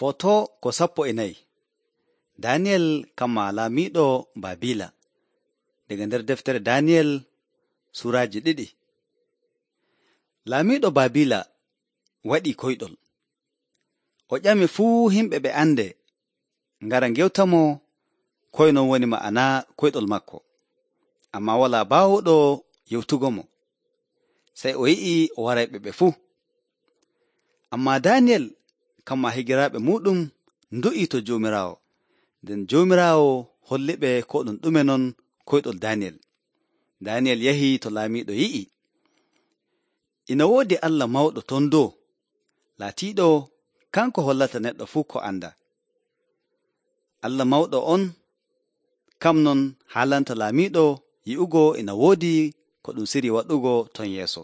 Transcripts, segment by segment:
Foto ko 14. Daniyel kamma laamiiɗo Baabiila. Daga nder deftere Daniyel suraaji 2. Laamiiɗo Baabiila waɗii koyɗol. O ƴami fuu himɓe ɓe ande ngara ngewtamo koy non woni ma'ana koyɗol makko. Ammaa walaa baawuɗo yewtugo mo. Sey o yi'i o warayɓe ɓe fuu. Ammaa Daniyel kamma higiraaɓe muuɗum ndu'ii to Joomiraawo. Nden Joomiraawo holliɓe ko ɗum ɗume non koyɗol Daniyel. Daniyel yahii to laamiiɗo yi'i. Ina woodi Allah mawɗo ton dow, laatiiɗo kanko hollata neɗɗo fuu ko anda. Allah mawɗo on, kam non haalanta laamiiɗo yi'ugo ina woodi ko ɗum siri waɗugo ton yeeso.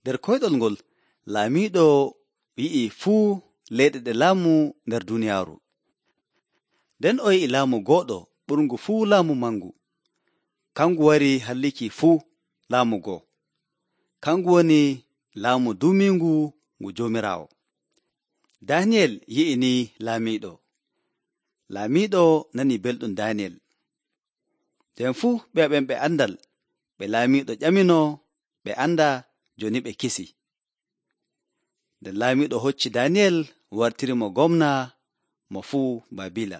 Nder koyɗol ngol, laamiiɗo yi'i fuu leyɗe ɗe laamu nder duniyaaru. Nden o yi'i laamu gooɗo ɓurngu fuu laamu mangu. Kangu wari halliki fuu laamu goo. Kangu woni laamu duumiingu ngu Joomiraawo. Daniyel yi'i ni laamiiɗo. Laamiiɗo nani belɗum Daniyel. Nden fuu ɓe andal ɓe laamiiɗo ƴamino ɓe anda jooni ɓe kisi. Nden laamiiɗo hocci Daniyel wartirimo gomna mo fuu Baabiila.